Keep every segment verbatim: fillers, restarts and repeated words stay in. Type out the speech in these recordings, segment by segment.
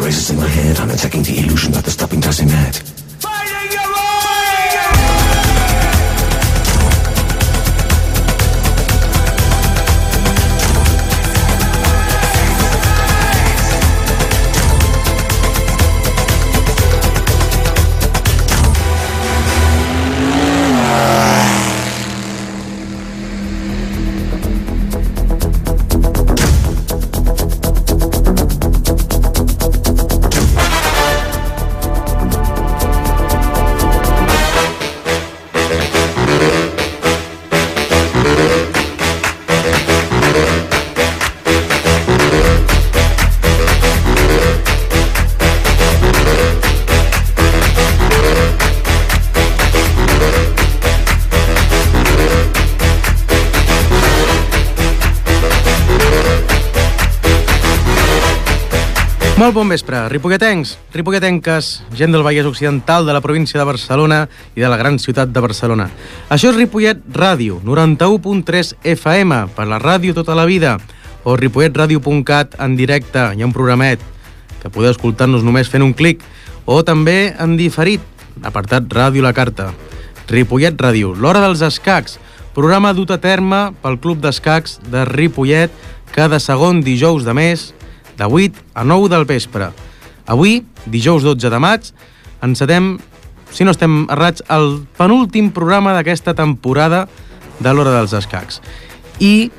races in my head. I'm attacking the illusion that the stopping does in head. Molt bon vespre, ripolletencs, ripolletenques, gent del Vallès Occidental, de la província de Barcelona i de la gran ciutat de Barcelona. Això és Ripollet Ràdio, noranta-u punt tres F M, per la ràdio tota la vida, o ripollet ràdio punt cat en directe, hi ha un programet que podeu escoltar-nos només fent un clic, o també en diferit, apartat Ràdio La Carta. Ripollet Ràdio, l'hora dels escacs, programa dut a terme pel Club d'Escacs de Ripollet cada segon dijous de mes, de vuit a nou del vespre. Avui, dijous dotze de maig, encetem, si no estem errats, el penúltim programa d'aquesta temporada de l'Hora dels Escacs. I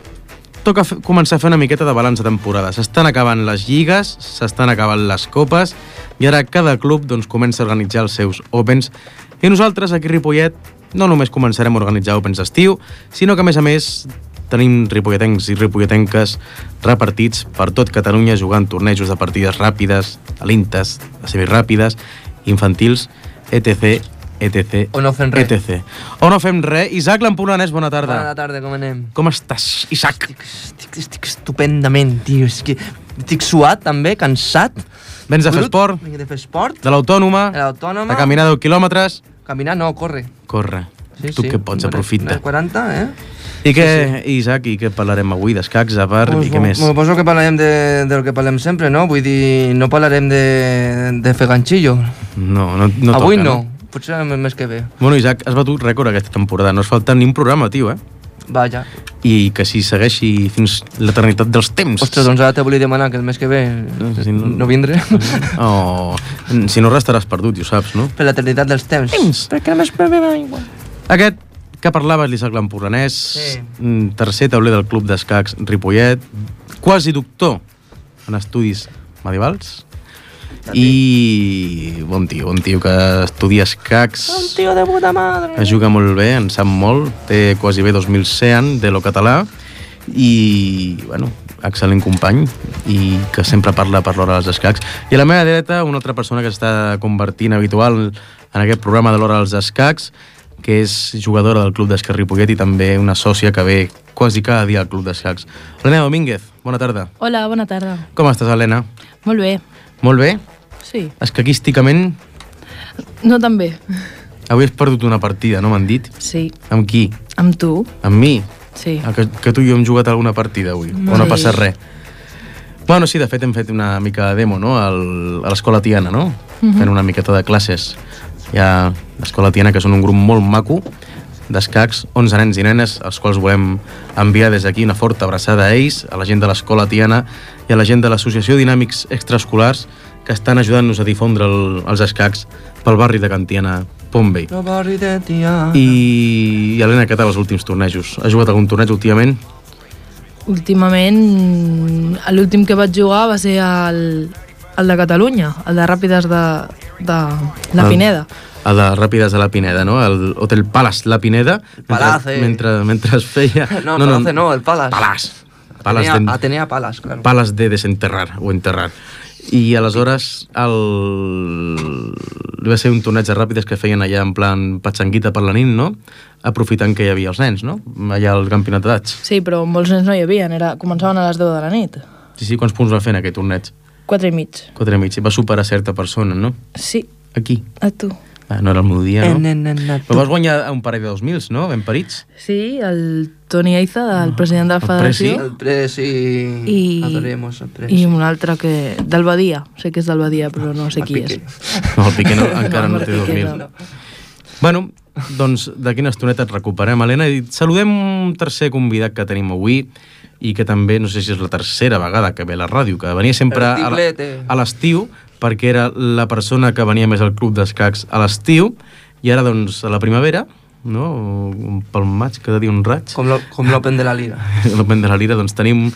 toca f- començar a fer una miqueta de balanç de temporada. S'estan acabant les lligues, s'estan acabant les copes, i ara cada club doncs, comença a organitzar els seus Opens. I nosaltres, aquí a Ripollet, no només començarem a organitzar Opens d'estiu, sinó que, a més a més, tenim ripolletencs i ripolletenques repartits per tot Catalunya jugant tornejos de partides ràpides, alintes, semiràpides, infantils, etc, etc, o no fem res. etc. O no fem res. Isaac l'Empordanès, bona tarda. Bona tarda, com anem? Com estàs, Isaac? Estic, estic, estic estupendament, tio. És que estic suat, també, cansat. Vens de fer esport? Vinc de fer esport. De l'Autònoma? De l'Autònoma. De caminar deu quilòmetres? Caminar no, corre. Corre. Sí, tu sí. què pots, aprofita. quaranta, eh? I què, sí, sí. Isaac, i què parlarem avui? D'escacs, a part, pues, i què més? Suposo que parlarem de, del que parlem sempre, no? Vull dir, no parlarem de, de fer ganxillo. No, no, no avui toca, no. no. Potser el mes que ve. Bueno, Isaac, has batut rècord aquesta temporada. No es falta ni un programa, tio, eh? Vaja. I que si segueixi fins l'eternitat dels temps. Ostres, doncs ara te volia demanar que el mes que ve no, si no, no vindré. Oh, si no restaràs perdut, ja ho saps, no? Per l'eternitat dels temps. Temps. Perquè el mes que ve va igual. Aquest que parlaves, l'Isaac l'Empordanès, sí. Tercer tauler del Club d'Escacs Ripollet, quasi doctor en estudis medievals, i bon tio, bon tio que estudia escacs. Un tio de puta madre. Es juga molt bé, en sap molt, té quasi bé dos mil cent de lo català, i, bueno, excel·lent company, i que sempre parla per l'hora dels escacs. I a la meva dreta, una altra persona que s'està convertint habitual en aquest programa de l'hora dels escacs, que és jugadora del Club d'Escacs Ripollet i també una sòcia que ve quasi cada dia al Club d'Escacs. Helena Domínguez, bona tarda. Hola, bona tarda. Com estàs, Helena? Molt bé. Molt bé? Sí. Escaquísticament? No tan bé. Avui has perdut una partida, no m'han dit? Sí. Amb qui? Amb tu? Amb mi? Sí. Ah, que, que tu i jo hem jugat alguna partida avui, sí. O no passa res. Bueno, sí, de fet hem fet una mica de demo, no?, Al, a l'Escola Tiana, no? Mm-hmm. Fent una miqueta de classes. Hi ha l'Escola Tiana, que són un grup molt maco d'escacs, onze nens i nenes, als quals volem enviar des d'aquí una forta abraçada a ells, a la gent de l'Escola Tiana i a la gent de l'Associació Dinàmics Extraescolars, que estan ajudant-nos a difondre el, els escacs pel barri de Can Tiana, Pompey. El barri de Tiana. I, i Helena, què tal els últims tornejos? Has jugat algun torneig últimament? Últimament, l'últim que vaig jugar va ser el, el de Catalunya, el de Ràpides de, de la Pineda. El, el de Ràpides de la Pineda, no? El Hotel Palace La Pineda. Palace. Mentre, mentre es feia... No, no, Palace no, el Palace. Palace. Palace Atenea, Atenea Palace, claro. Palace de desenterrar o enterrar. I aleshores el... va ser un torneig de ràpides que feien allà en plan patxanguita per la nit, no? Aprofitant que hi havia els nens, no? Allà al campionat d'edats. Sí, però molts nens no hi havia, era... començaven a les deu de la nit. Sí, sí, quants punts va fer en aquest torneig? Quatre i mig. Quatre i mig. Va superar certa persona, no? Sí. Aquí? A tu. Ah, no era el meu dia, no? En, en, en, en, Però vas guanyar un parell de dos mils, no? Ben parits. Sí, el Toni Eiza, el president de la El federació. Presi. El pres i... I, Adoremos el pres. i un altre que... del Badia. Sé que és del Badia, però no sé qui és. No, el Piqué no, encara no, el té dos Piqué mil. no. Bueno, doncs d'aquí una estoneta et recuperem, Helena, i saludem un tercer convidat que tenim avui i que també, no sé si és la tercera vegada que ve a la ràdio, que venia sempre a la- a l'estiu, perquè era la persona que venia més al club d'escacs a l'estiu, i ara, doncs, a la primavera, no? Pel maig, cada dia un raig. Com lo- com l'Open de la Lira. L'Open de la Lira, doncs tenim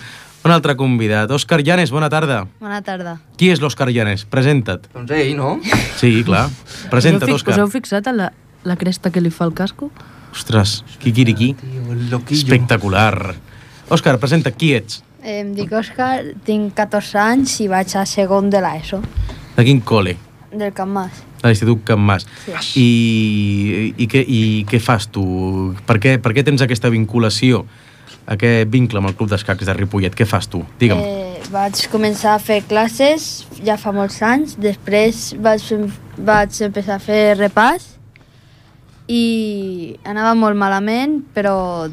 un altre convidat. Òscar Llanes, bona tarda. Bona tarda. Qui és l'Òscar Llanes? Presenta't. Doncs ell, no? Sí, clar. Presenta't, Us heu fi- Òscar. Us heu fixat en la, la cresta que li fa el casco? Ostres, quiquiriquí. Tio, el loquillo. Espectacular. Òscar, presenta, qui ets? Eh, em dic Òscar, tinc catorze anys i vaig a segon de l'ESO, De quin col·le? del Camp Mas. A l'Institut Can Mas. Sí. I, i, què, I què fas tu? Per què, per què tens aquesta vinculació, aquest vincle amb el Club d'Escacs de Ripollet? Què fas tu? Digue'm. Eh, vaig començar a fer classes ja fa molts anys, després vaig, fer- vaig empezar a fer repàs i anava molt malament, però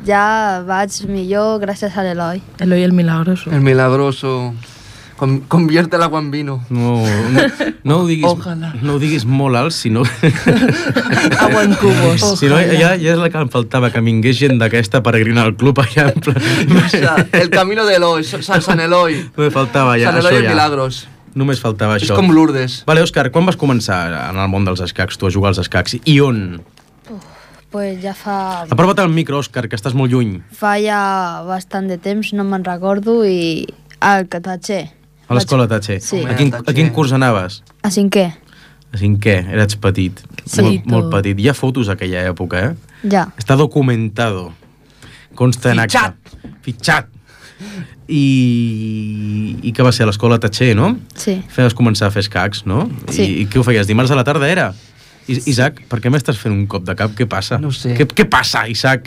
ja vaig millor gràcies a l'Eloi. Eloi el Milagroso. El milagroso. Com, convierte el agua en vino. No, no, no, ho diguis, Ojalà. no ho diguis molt alt, sinó... Agua en cubos. si no, ja, ja és la que em faltava, que vingués gent d'aquesta peregrina al club allà en plan... O sea, el camino de Eloi, San, San Eloi. Me faltava ja, San això Eloi en ja. Milagros. Només faltava És això. com Lourdes. Vale, Òscar, quan vas començar en el món dels escacs, tu, a jugar als escacs? I on? Pues ja fa, Aprova't al micro, Òscar, que estàs molt lluny. fa ja bastant de temps, no me'n recordo, i al Catatxer. A l'escola Tatxer. Sí. A quin, a quin curs anaves? A cinquè, A cinquè, eres petit. Sí. Molt, molt tot. petit. Hi ha fotos d'aquella època, eh? ja. Està documentado. Consta en acta. Fitxat. I, I què va ser a l'escola Tatxer, no? Sí. Feies començar a fer escacs, no? Sí. I, I què ho feies? Dimarts a la tarda era? I, Isaac, per què m'estàs fent un cop de cap? Què passa? No sé. Què, què passa, Isaac?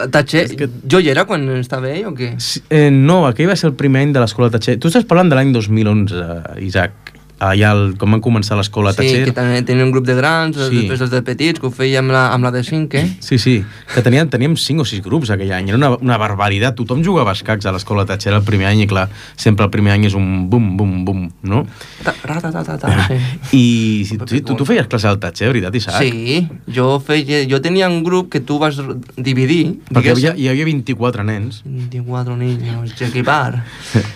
Tatxer, És que- jo hi era quan estava ell o què? Sí, eh, no, aquell va ser el primer any de l'escola Tatxer. Tu estàs parlant de l'any dos mil onze, Isaac. Allà, el, com van començar l'escola Sí, Tatxer. que també tenia un grup de grans, Sí. després els de petits, que ho feia amb la, amb la de cinc, eh? Sí, sí, que teníem, teníem cinc o sis grups aquell any, era una, una barbaritat, tothom jugava a escacs a l'escola Tatxer el primer any i clar, sempre el primer any és un bum, bum, bum, no? Ta, ra, ta, ta, ta, ta, sí. I si, sí, tu, tu feies classe al Tatxer, veritat, Isaac? Sí, jo, feia, jo tenia un grup que tu vas dividir, Perquè hi diguéssim. havia, hi havia vint-i-quatre nens. veinticuatro niños, equipar.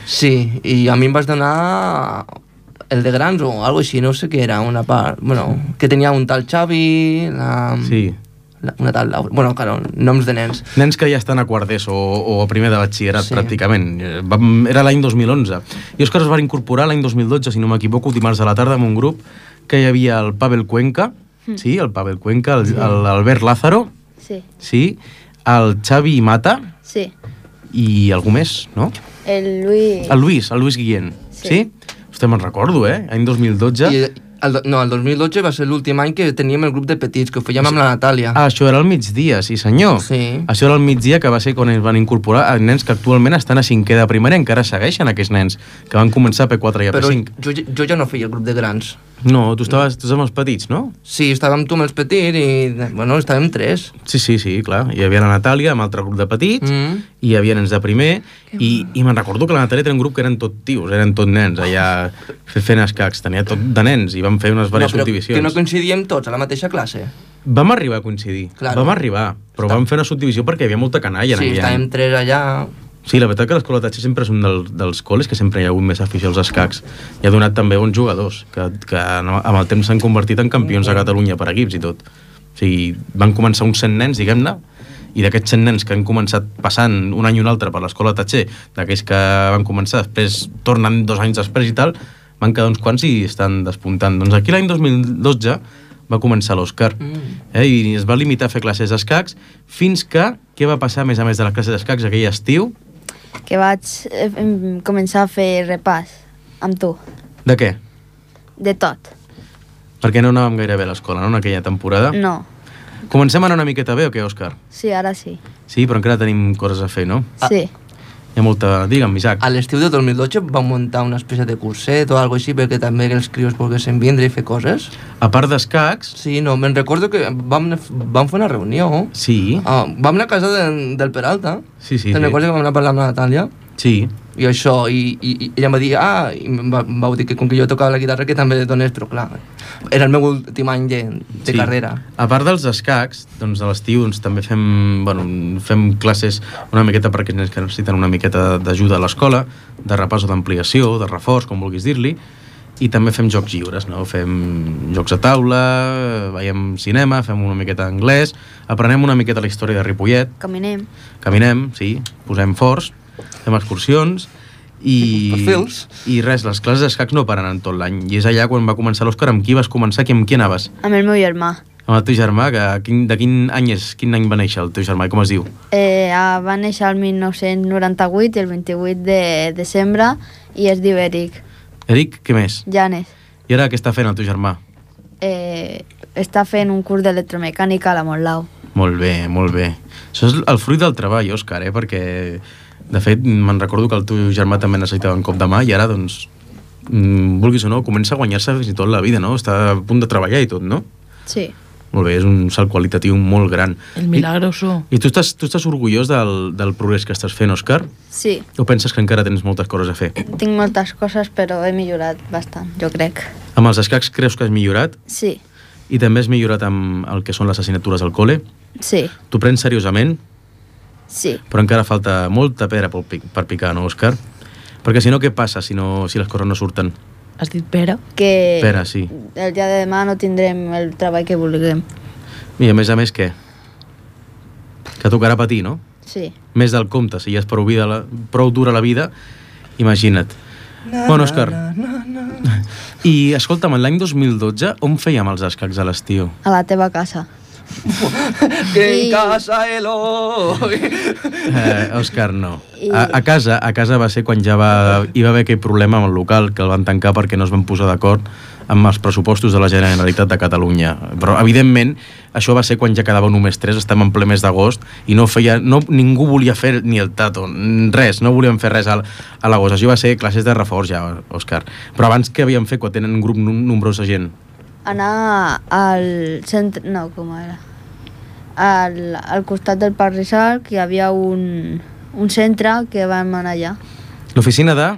Sí, i a mi em vas donar el de grans o algo així, no sé què era, una part, bueno, que tenia un tal Xavi, la, Sí. la, una tal Laura, bueno, claro, noms de nens. Nens que ja estan a quart d'ESO o, o a primer de batxillerat, Sí. sí. pràcticament. Eh, Vam, era l'any dos mil onze. I Òscar es va incorporar l'any dos mil dotze, si no m'equivoco, dimarts a la tarda, amb un grup que hi havia el Pavel Cuenca, Mm. sí, el Pavel Cuenca, el- el- l'Albert Lázaro, Sí. sí, el Xavi Mata Sí. i algú més, no? El Luis... El Luis, el Luis Guillén. Sí? Sí. sí? Hòstia, me'n recordo, eh? Any dos mil dotze. I el, do- no, el dos mil dotze va ser l'últim any que teníem el grup de petits, que ho fèiem amb la Natàlia. Ah, això era al migdia, sí senyor. Sí. Això era al migdia, que va ser quan es van incorporar a nens que actualment estan a cinquè de primera, encara segueixen aquests nens, que van començar a P quatre i a Però P cinc. jo, jo ja no feia el grup de grans. No, tu estaves, tu estaves amb els petits, no? Sí, estàvem tu amb els petits i, bueno, estàvem tres. Sí, sí, sí, clar. Hi havia la Natàlia amb altre grup de petits, Mm. i hi havia nens de primer, i, i me'n recordo que la Natàlia tenia un grup que eren tot tios, eren tot nens, allà fe- fent escacs, tenia tot de nens, i vam fer unes No, diverses però subdivisions. que no coincidíem tots a la mateixa classe. Vam arribar a coincidir, Claro. vam arribar, però Està- vam fer una subdivisió perquè hi havia molta canalla en Sí, aquell estàvem any. tres allà. Sí, la veritat que l'escola Tatxer sempre és un del, dels col·les que sempre hi ha hagut més afició als escacs. I ha donat també bons jugadors, que, que no, amb el temps s'han convertit en campions a Catalunya per equips i tot. O sigui, van començar uns cent nens, diguem-ne, i d'aquests cent nens que han començat passant un any i un altre per l'escola Tatxer, d'aquells que van començar, després tornen dos anys després i tal, van quedar uns quants i estan despuntant. Doncs aquí l'any dos mil dotze va començar l'Òscar, Mm. eh, i es va limitar a fer classes d'escacs, fins que, què va passar a més a més de les classes d'escacs aquell estiu? Que vaig eh, em- començar a fer repàs amb tu, De què? de tot. Perquè no anàvem gaire bé a l'escola, no?, en aquella temporada. No, Comencem a anar una miqueta bé o què, Òscar? sí, ara sí. Sí, però encara tenim coses a fer, no? Ah. Sí, Hi ha molta... Digue'm, Isaac. A l'estiu de dos mil dotze vam muntar una espècie de curset o alguna així perquè també els crios volguessin vindre i fer coses. A part d'escacs... Sí, no, me'n recordo que vam, vam fer una reunió. Sí. Ah, vam anar a casa de, del Peralta. Sí, sí. Te'n sí. recordes que vam anar a parlar amb la Natàlia? Sí. I això, i, i, i ella em va dir, ah, i em va, em vau dir que com que jo tocava la guitarra que també donés, però clar, era el meu últim any de, de sí. carrera. A part dels escacs, doncs a l'estiu doncs, també fem, bueno, fem classes una miqueta perquè els nens que necessiten una miqueta d'ajuda a l'escola, de repàs o d'ampliació, de reforç, com vulguis dir-li, i també fem jocs lliures, no? Fem jocs a taula, veiem cinema, fem una miqueta d'anglès, aprenem una miqueta la història de Ripollet. Caminem. Caminem, sí, posem forts, fem excursions i, Perfils. i res, les classes d'escacs no paren en tot l'any. I és allà quan va començar l'Òscar, amb qui vas començar, amb qui anaves? Amb el meu germà. Amb el teu germà, que, quin, de quin any és, quin any va néixer el teu germà i com es diu? Eh, va néixer el mil nou-cents noranta-vuit, el vint-i-vuit de desembre, i es diu Eric. Eric, què més? Janes. I ara què està fent el teu germà? Eh, està fent un curs d'electromecànica a la Montlau. Molt bé, molt bé. Això és el fruit del treball, Òscar, eh? Perquè, de fet, me'n recordo que el teu germà també necessitava un cop de mà i ara, doncs, mm, vulguis o no, comença a guanyar-se fins i tot la vida, no? Està a punt de treballar i tot, no? Sí. Molt bé, és un salt qualitatiu molt gran. El milagroso. I, i tu, estàs, tu estàs orgullós del, del progrés que estàs fent, Òscar? Sí. O penses que encara tens moltes coses a fer? Tinc moltes coses, però he millorat bastant, jo crec. Amb els escacs creus que has millorat? Sí. I també has millorat amb el que són les assignatures al col·le? Sí. T'ho prens seriosament? Sí. Però encara falta molta pera per, pic, per picar, no, Òscar? Perquè si no, què passa si, no, si les coses no surten? Has dit pera? Que Pera, sí. el dia de demà no tindrem el treball que vulguem. I a més a més, què? Que tocarà patir, no? Sí. Més del compte, si ja és prou, vida, la, prou dura la vida, imagina't. Na, bueno, Òscar, na, na, na. I escolta'm, l'any dos mil dotze, on fèiem els escacs a l'estiu? A la teva casa. Que en I- casa Eloi. Eh, Òscar, no. I- A, a, casa, a casa va ser quan ja va, hi va haver aquell problema amb el local, que el van tancar perquè no es van posar d'acord amb els pressupostos de la Generalitat de Catalunya. Però, evidentment, això va ser quan ja quedava només tres, estem en ple mes d'agost, i no feia, no, ningú volia fer ni el tato, res, no volíem fer res a, a l'agost. Això va ser classes de reforç ja, Òscar. Però abans què havíem fet quan tenen un grup num- nombrós de gent? Anar al centre... No, com era? Al, al costat del Parc Rizal, que hi havia un, un centre que vam anar allà. L'oficina de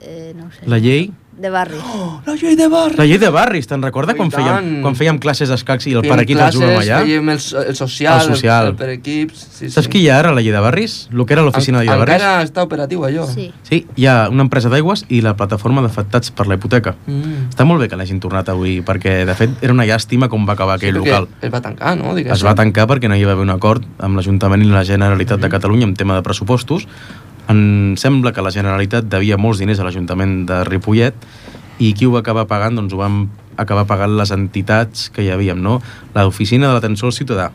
Eh, no ho sé. la llei... De barri. La llei de barri. La llei de barris, te'n recorda Oh, i quan fèiem, tant. quan fèiem classes d'escacs i el Fèiem paraquit el jugàvem allà? Fèiem el, el social, El social. el, el per equips. Sí, Saps sí. qui hi ha ara a la llei de barris? El que era l'oficina de la llei de barris? Encara està operatiu, allò. Sí. Sí, hi ha una empresa d'aigües i la plataforma d'afectats per la hipoteca. Mm. Està molt bé que l'hagin tornat avui, perquè, de fet, era una llàstima com va acabar aquell Sí, perquè local. es va tancar, no? Diguéssim. Es va tancar perquè no hi va haver un acord amb l'Ajuntament i la Generalitat de Catalunya en tema de pressupostos. Em sembla que la Generalitat devia molts diners a l'Ajuntament de Ripollet i qui ho va acabar pagant? Doncs ho vam acabar pagant les entitats que hi havíem, no? L'Oficina de l'Atenció al Ciutadà,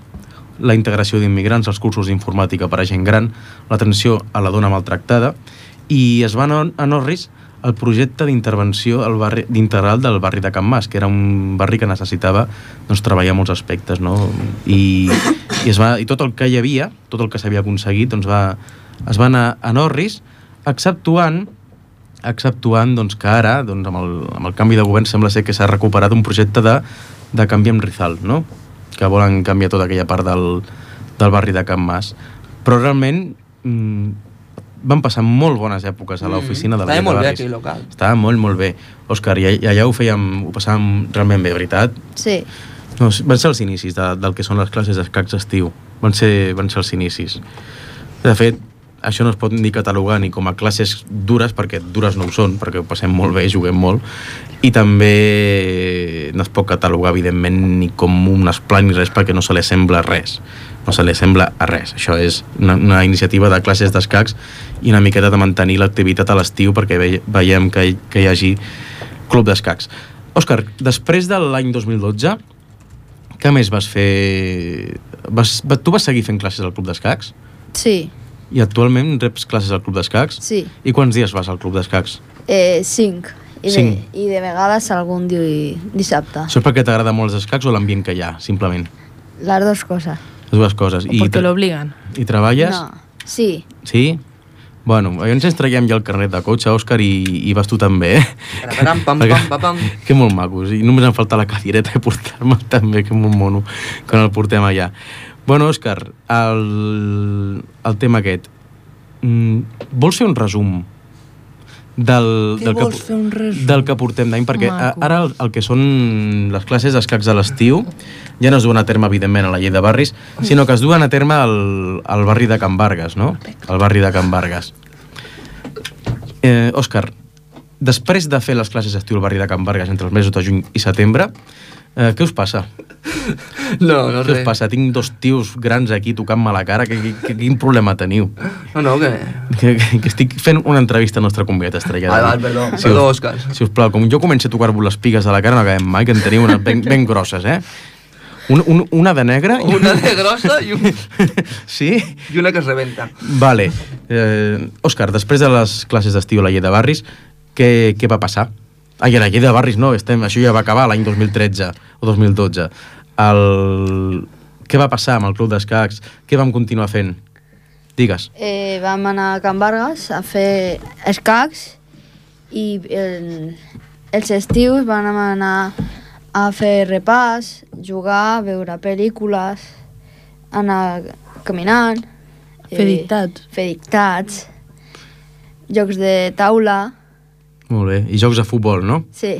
la integració d'immigrants, els cursos d'informàtica per a gent gran, l'atenció a la dona maltractada, i es va anar a Norris el projecte d'intervenció al barri integral del barri de Can Mas, que era un barri que necessitava doncs, treballar molts aspectes, no? I, i, es va, i tot el que hi havia, tot el que s'havia aconseguit, doncs va, es va anar a Norris, exceptuant exceptuant doncs, que ara, doncs, amb, el, amb el canvi de govern, sembla ser que s'ha recuperat un projecte de, de canvi amb Rizal, no? Que volen canviar tota aquella part del, del barri de Can Mas. Però realment mmm, van passar molt bones èpoques a l'oficina de la Estava llei de molt bé barris. aquell local. Estava molt, molt bé. Òscar, i, i allà ho fèiem, ho passàvem realment bé, veritat? Sí. No, van ser els inicis de, del que són les classes d'escacs d'estiu. Van ser, van ser els inicis. De fet, això no es pot ni catalogar ni com a classes dures, perquè dures no ho són, perquè ho passem molt bé, juguem molt, i també no es pot catalogar, evidentment, ni com un esplai ni res, perquè no se li sembla res. No se li sembla a res. Això és una, una iniciativa de classes d'escacs i una miqueta de mantenir l'activitat a l'estiu perquè ve, veiem que hi, que hi hagi club d'escacs. Òscar, després de l'any dos mil dotze, què més vas fer? Vas, tu vas seguir fent classes al club d'escacs? Sí. I actualment reps classes al club d'escacs? Sí. I quants dies vas al club d'escacs? Eh, cinc. I de, Cinc. I de vegades algun di, dissabte. Això és perquè t'agrada molt els escacs o l'ambient que hi ha, simplement? Les dues coses. Les dues coses. O porque lo obligan. I treballes? No. Sí. Sí? Bueno, llavors ens traiem ja el carnet de cotxe, Òscar, i, i vas tu també, eh? Pam, pam, pam, pam, pam. Que molt macos, i només em falta la cadireta i portar-me'l també, que molt mono, quan el portem allà. Bueno, Òscar, el, el tema aquest, mm, vols fer un resum del, del, que, fer un resum? del que portem d'any? Perquè Maco. ara el, el que són les classes d'escacs a l'estiu ja no es duen a terme, evidentment, a la llei de barris, sinó que es duen a terme al, al barri de Can Vargas, no? Al barri de Can Vargas. Eh, Òscar, després de fer les classes d'estiu al barri de Can Vargas entre els mesos de juny i setembre, eh, què us passa? No, no Què us res. passa? Tinc dos tios grans aquí tocant-me la cara. Que, que, quin problema teniu? No, no, que... Que, que, que estic fent una entrevista al nostre convidat estrella. Val, val, perdó, Si perdó, us- Òscar. Si us plau, com jo començo a tocar-vos les pigues de la cara, no acabem mai, que en teniu unes ben, ben grosses, eh? Un, un, una de negra i Una de grossa i, un... Sí? i una que es rebenta. Vale. Eh, Òscar, després de les classes d'estiu a la llei de barris, què, què va passar? Ai, a la llei de barris no, estem, això ja va acabar l'any dos mil tretze o dos mil dotze. El... Què va passar amb el club d'escacs? Què vam continuar fent? Digues. Eh, vam anar a Can Vargas a fer escacs i el, els estius vam anar a fer repàs, jugar, veure pel·lícules, anar caminant, Fer dictats. fer dictats, jocs de taula, Molt bé. I jocs de futbol, no? sí,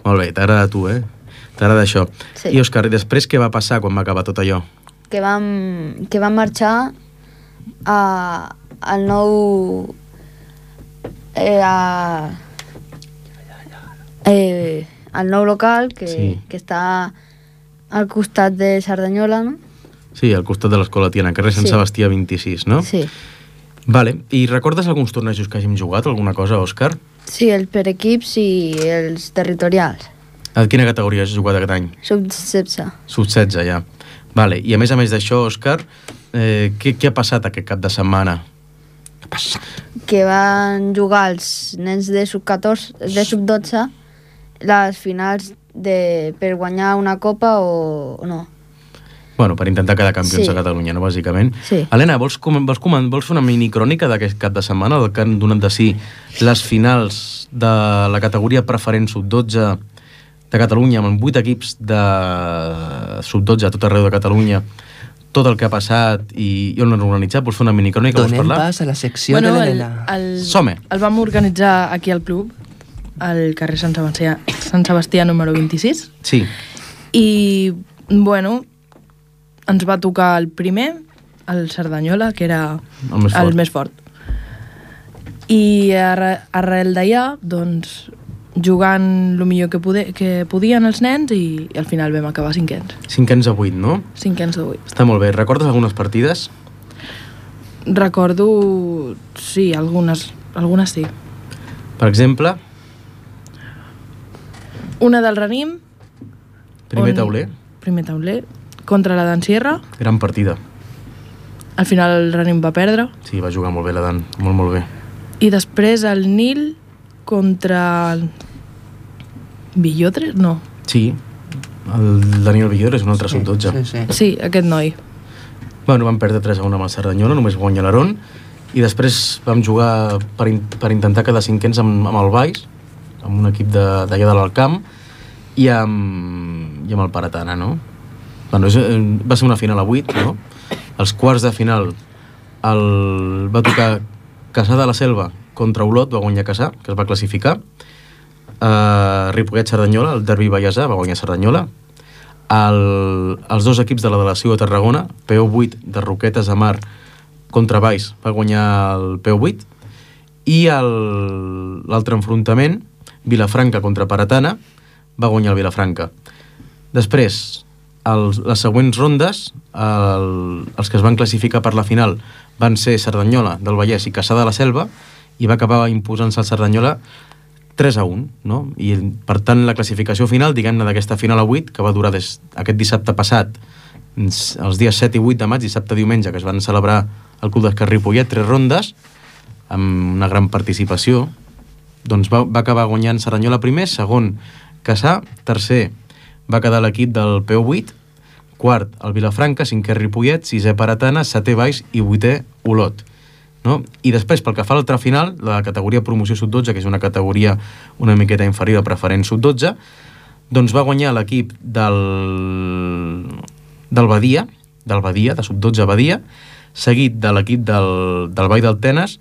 Molt bé, t'agrada a tu, eh? T'agrada això. Sí. I, Òscar, després què va passar quan va acabar tot allò? que vam, que vam marxar a, al nou... Eh, a, eh, al nou local que, Sí. que està al costat de Cerdanyola, no? Sí, al costat de l'Escola Tiana, carrer Sant Sí. Sebastià vint-i-sis, no? Sí. Vale. I recordes alguns tornejos que hàgim jugat, alguna cosa, Òscar? Sí, el per equips i els territorials. A quina categoria has jugat aquest any? Sub setze. Sub setze, ja. Vale. I a més a més d'això, Òscar, eh, què, què ha passat aquest cap de setmana? Què ha passat? Que van jugar els nens de sub catorze, de sub dotze, les finals de, per guanyar una copa o, o no. Bueno, per intentar quedar campions Sí. a Catalunya, no, bàsicament. Sí. Helena, vols, com, vols, com, vols fer una minicrònica d'aquest cap de setmana, del que han donat de si les finals de la categoria preferent sub dotze de Catalunya, amb vuit equips de sub dotze a tot arreu de Catalunya, tot el que ha passat i, i on l'han organitzat? Vols fer una minicrònica? Vols Donem parlar? pas a la secció Bueno, de el, l'Helena. el, Som-hi. el vam organitzar aquí al club, al carrer Sant Sebastià, Sant Sebastià número vint-i-sis, Sí. i, bueno, ens va tocar el primer, el Cerdanyola, que era El més fort. el més fort. I arre, arrel d'allà, doncs, jugant el millor que, poder, que podien els nens i, i al final vam acabar cinquens. Cinquens a vuit, no? Cinquens de vuit. Està molt bé. Recordes algunes partides? Recordo, sí, algunes, algunes sí. Per exemple, Una del Ranim. primer on- tauler, Primer tauler. Contra la Dan Sierra. gran partida. Al final el Ranim va perdre. Sí, va jugar molt bé la Dan, molt, molt bé. I després el Nil contra el Villotres? No. Sí, el Daniel Villores, un altre sub dotze. Sí, sí. Sí, aquest noi. Bueno, vam perdre tres a un amb el Cerdanyola, només guanya l'Aron, i després vam jugar per, in per intentar quedar cinquens amb, amb el Baix, amb un equip d'allà de, de l'Alcamp, i amb, i amb el Paratana, no? Bueno, és, eh, va ser una final a vuit, no? Els quarts de final el, va tocar Caçà de la Selva contra Olot, va guanyar Caçà, que es va classificar. Uh, Ripollet-Cerdanyola, el derbi vallesà, va guanyar Cerdanyola. El, els dos equips de la delegació de Tarragona, P O vuit de Roquetes de Mar contra Baix, va guanyar el P O vuit. I l'altre enfrontament, Vilafranca contra Paratana, va guanyar el Vilafranca. Després, els, les següents rondes, el, els que es van classificar per la final van ser Cerdanyola del Vallès i Caçà de la Selva, i va acabar imposant-se el Cerdanyola tres a un, no? I per tant la classificació final, diguem-ne, d'aquesta final a vuit, que va durar des aquest dissabte passat, els dies set i vuit de maig, dissabte i diumenge, que es van celebrar al Club d'Escacs Ripollet, tres rondes, amb una gran participació, doncs va, va acabar guanyant Cerdanyola primer, segon Caçà, tercer va quedar l'equip del P O vuit, quart el Vilafranca, cinquè Ripollet, sisè Paratana, setè Baix i vuitè Olot. no? I després, pel que fa a l'altra final, la categoria promoció sub dotze, que és una categoria una miqueta inferior a preferent sub dotze, doncs va guanyar l'equip del, del Badia, del Badia, de sub dotze Badia, seguit de l'equip del, del Vall del Tenes,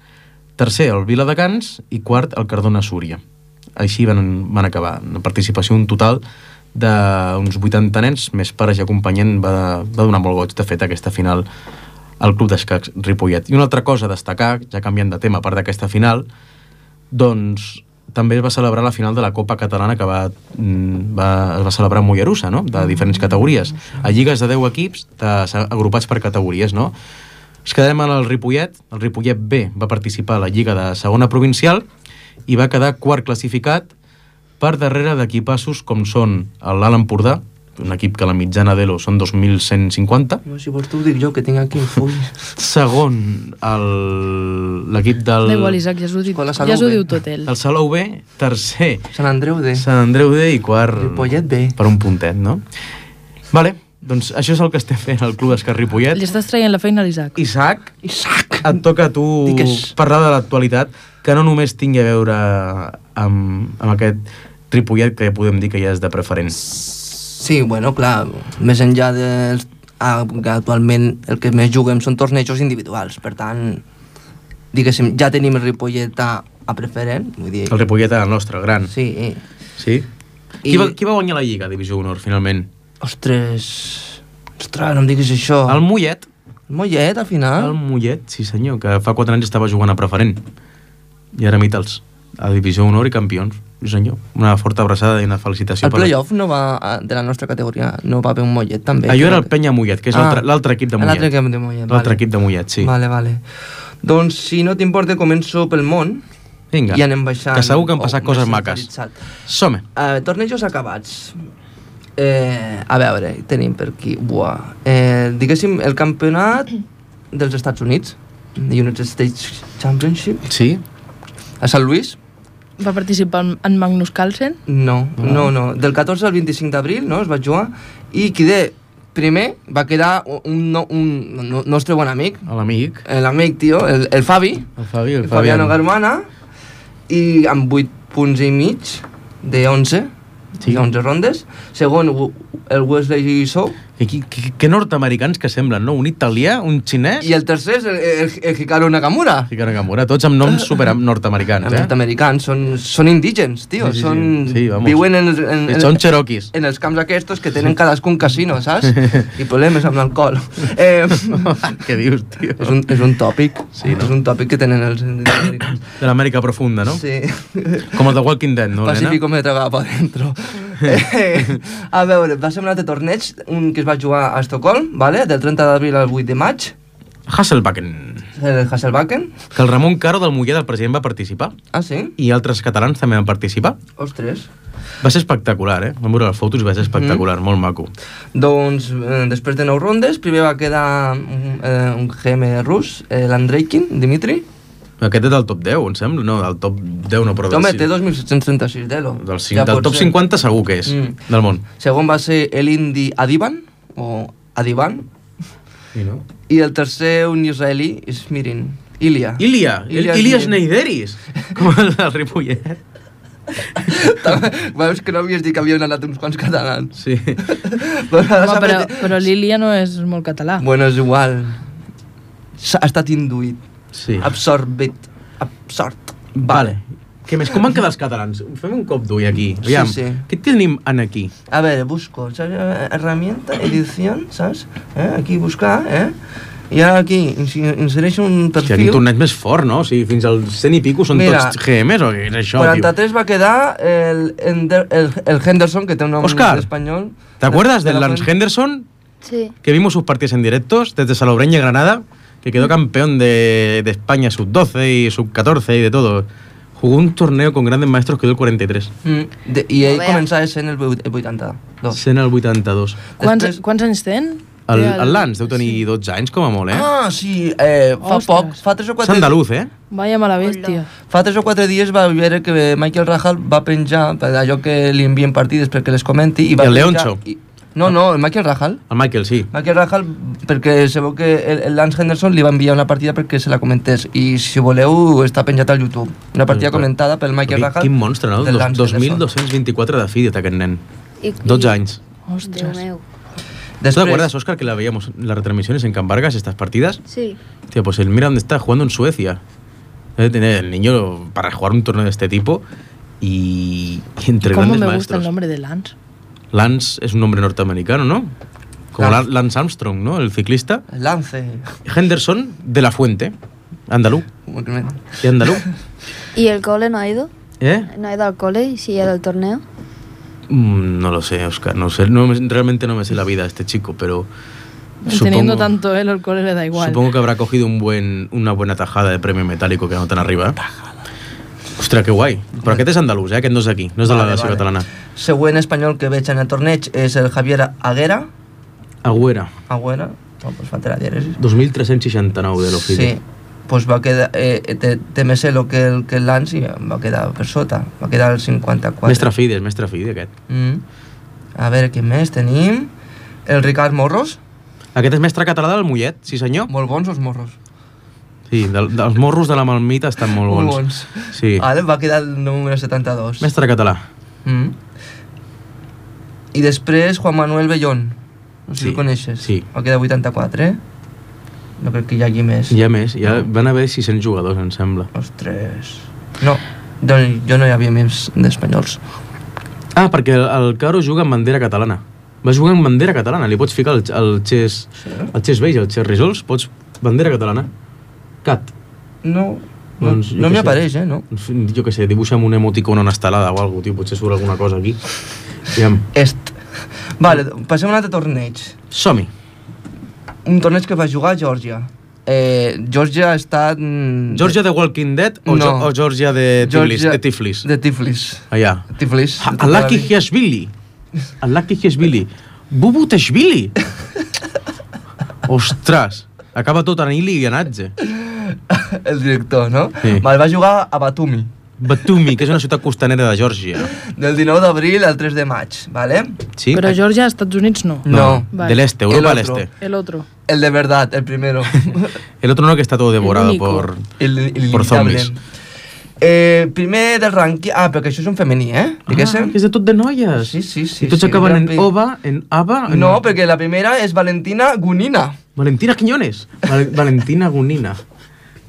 tercer el Viladecans i quart el Cardona Súria. Així van, van acabar. Una participació un total d'uns vuitanta nens, més pares i acompanyant, va, va donar molt goig, de fet, aquesta final al Club d'Escacs Ripollet. I una altra cosa a destacar, ja canviant de tema, a part d'aquesta final, doncs també es va celebrar la final de la Copa Catalana que va, va, es va celebrar a Mollerussa, no? De diferents categories. A lligues de deu equips de, agrupats per categories, no? Es quedarem al Ripollet. El Ripollet B va participar a la lliga de segona provincial i va quedar quart classificat per darrere d'equipassos com són l'Alt Empordà, un equip que la mitjana d'Elo són dos mil cent cinquanta. No, si vols t'ho dic jo, que tinc aquí un full. Segon, l'equip del... Da igual, Isaac, ja s'ho diu, ja s'ho diu tot ell. El Salou B, tercer. Sant Andreu D. Sant Andreu D i quart... Ripollet B. Per un puntet, no? Vale, doncs això és el que estem fent al Club d'Escacs Ripollet. Li estàs traient la feina a l'Isaac. Isaac, Isaac, et toca a tu Digues. parlar de l'actualitat, que no només tingui a veure amb, amb aquest Ripollet que podem dir que ja és de preferent. Sí, bueno, clar, més enllà dels... Ah, que actualment el que més juguem són tornejos individuals, per tant, diguéssim, ja tenim el Ripollet a, a preferent, vull dir... El Ripollet era el nostre, el gran. Sí. Sí? I... Qui, va, qui va guanyar la Lliga, Divisió Honor, finalment? Ostres... Ostres, no em diguis això. El Mollet. El Mollet, al final? El Mollet, sí senyor, que fa quatre anys estava jugant a preferent. I ara mita'ls, a Divisió Honor i campions. Sí senyor, una forta abraçada i una felicitació. El playoff no va, de la nostra categoria, no va haver un Mollet, també. Allò era el Penya Mollet, que és ah, l'altre equip de Mollet. L'altre equip de Mollet, L'altre vale. equip de Mollet, sí. Vale, vale. Doncs, si no t'importa, començo pel món. Vinga, i anem baixant. que segur que han passat oh, coses maques. Som-hi. Uh, tornejos acabats. Eh, a veure, tenim per aquí... Buah. Eh, diguéssim, el campionat dels Estats Units, the United States Championship. Sí. A Sant Luís. Va participar en Magnus Carlsen? No, no, no. Del catorze al vint-i-cinc d'abril, no?, es va jugar. I qui de primer va quedar un, un, un nostre bon amic. L'amic. L'amic, tio, el, el Fabi. El Fabi, el, el Fabiano Garmana. I amb vuit punts i mig de onze. Sí. onze rondes. Segon, el Wesley So. Que, que, que nord-americans que semblen, no? Un italià, un xinès... I el tercer és el, el, el Hikaru Nakamura. Hikaru Nakamura, tots amb noms super nord-americans, eh? Nord-americans, són, són indígens, tio. Sí, sí, són, sí, vamos. Viuen en, en, en, són cherokees. En els camps aquests que tenen cadascun casino, saps? I problemes amb l'alcohol. Eh, Què dius, tio? És un, és un tòpic. Sí, no? És un tòpic que tenen els americans. De l'Amèrica profunda, no? Sí. Com el de Walking Dead, no, Pacífico me tragava pa dentro. eh, a veure, va ser un altre torneig, un que es va jugar a Estocolm, vale? Del trenta d'abril al vuit de maig. Hasselbacken. El Hasselbacken. Que el Ramon Caro del Mollet, el president, va participar. Ah, sí? I altres catalans també van participar. Ostres. Va ser espectacular, eh? Vam veure les fotos i va ser espectacular, mm. molt maco. Doncs, eh, després de nou rondes, primer va quedar eh, un G M rus, eh, l'Andreikin, Dimitri. Aquest és del top deu, em sembla? No, del top deu no, però... Home, té dos mil set-cents trenta-sis d'Elo. Del, ja del top ser. cinquanta segur que és, mm. del món. Segon va ser l'indi Adivan, o Adivan. I, no? I el tercer, un israelí, és Mirin. Ilia. Ilia, Ilia, Ilia Sneideris, com el del Ripollet. Veus que no havies dit que havien anat uns quants catalans. Sí. però Home, però, però l'Ilia no és molt català. Bueno, és igual. Ha estat induït. Sí. Absorbit. Absort. Vale. Què més? Com van quedar els catalans? Fem un cop d'ull aquí. Aviam, sí, sí. Què tenim en aquí? A veure, busco. ¿Sabes? Herramienta, edición, saps? Eh? Aquí buscar, eh? I ara aquí insereixo un perfil... Hòstia, quin torneig més fort, no? O sigui, fins als cent i pico són Mira, tots G Ms o què és això, quaranta-tres tio? Va quedar el, el, el Henderson, que té un nom Oscar, español. ¿te acuerdas del Lance Henderson? Sí. Que vimos sus partidos en directos desde Salobreña, Granada, que quedó campeón de, de España sub doce y sub catorce y de todo. Jugó un torneo con grandes maestros, quedó el quaranta i tres. Mm, de, I ell començava sent el vuitanta-dos. Sent el vuitanta-dos. Quants, Després... quants anys ten? El, el Lance deu tenir sí. dotze anys, com a molt, eh? Ah, sí, eh, fa Ostres. poc, fa tres o quatre... És andaluz, eh? Vaya mala bèstia. Fa tres o quatre dies va veure que Michael Rahal va penjar allò que li envien partides perquè les comenti i va I el penjar... Leoncho. I, No, no, el Michael Rahal. El Michael, sí. Michael Rahal, perquè se veu que el, el Lance Henderson li va enviar una partida perquè se la comentés, i si voleu està penjat al YouTube. Una partida Però, comentada pel Michael Quin, Rahal. quin monstre, no? del Lance dos mil Henderson. dos-cents vint-i-quatre de fill, aquest nen. I- dotze anys. Déu Ostres. meu. ¿Tú te acuerdas, Óscar, que la veíamos en las retransmisiones en Can Vargas, estas partidas? Sí. Tío, pues el mira dónde está, jugando en Suecia. Debe tener el niño para jugar un torneo de este tipo y, y entre ¿Cómo grandes me gusta maestros. el nombre de Lance? Lance es un nombre norteamericano, ¿no? Como Lance. Lan- Lance Armstrong, ¿no? El ciclista. Lance. Henderson, de la Fuente, andalú. ¿Y andalú? ¿Y el cole no ha ido? ¿Eh? ¿No ha ido al cole y si ha ido al torneo? Mm, no lo sé, Óscar. No sé, no, me- realmente no me sé la vida de este chico, pero... Teniendo tanto él, el cole le da igual. Supongo que habrá cogido un buen, una buena tajada de premio metálico que no tan arriba. ¿eh? Ostres, que guai. Però aquest és andalús, eh? Aquest no és d'aquí, no és de la Vale, nació vale. catalana. Següent espanyol que veig en el torneig és el Javier Aguera. Agüera, Agüera. No, pues falta la dièresis. dos mil tres-cents seixanta-nou de l'Ofidio. Sí, pues va quedar, eh, té, té més elo que el, que el Lance i va quedar per sota, va quedar al cinquanta-quatre. Mestre Fides, mestre Fide, aquest. Mm. A veure, què més tenim? El Ricard Morros. Aquest és mestre català del Mollet, sí senyor. Molt bons els morros. Sí, del, dels morros de la Malmita estan molt bons. Molt bons. Sí. Vale, va quedar el número setanta-dos. Mestre català. Mm. I després Juan Manuel Bellón. No sé Sí, si el coneixes. sí. Va quedar vuitanta-quatre. No crec que hi hagi més. Hi ha més, ja van haver sis-cents jugadors, em sembla. Ostres. No, doncs jo no hi havia més d'espanyols. Ah, perquè el, el Caro juga amb bandera catalana. Va jugar amb bandera catalana, li pots ficar el, el xes, el xes beige, el xes risols, pots... Bandera catalana. Cat. No, no, Doncs, jo no què m'hi sé. apareix, eh, no? Jo què sé, dibuixa'm un emoticon o una estelada o alguna cosa, tio, potser surt alguna cosa aquí. Aviam. Est. Vale, passem a un altre torneig. Som-hi. Un torneig que va jugar a Geòrgia. Eh, Geòrgia ha estat... mm, Georgia de Walking Dead o, No. no. o Georgia de Tiflis? Geòrgia- De Tiflis. De Tiflis. Allà. Tiflis. Ha- Alaki Hiashvili. Alaki Hiashvili. Bubu Teshvili. Ostres. Acaba tot en ili i en atze. El director, no? Sí. Vale, va jugar a Batumi. Batumi, que és una ciutat costanera de Geòrgia. Del dinou d'abril al tres de maig, vale? Sí? Pero Georgia, Estados Unidos no. No. Vale. Del este, Europa El del otro. este. El otro. El de verdad, el primero. El otro no, que está todo devorado único. por, el, el por inimitable. zombies. Eh, primer del rànquing... Ah, perquè això és un femení, eh? Diguéssim. Ah, que és de tot de noies. Sí, sí, sí. I tots sí, acaben en Gran Prix. Ova, en Ava... En... No, perquè la primera és Valentina Gunina. Valentina Quiñones. Val Valentina Gunina.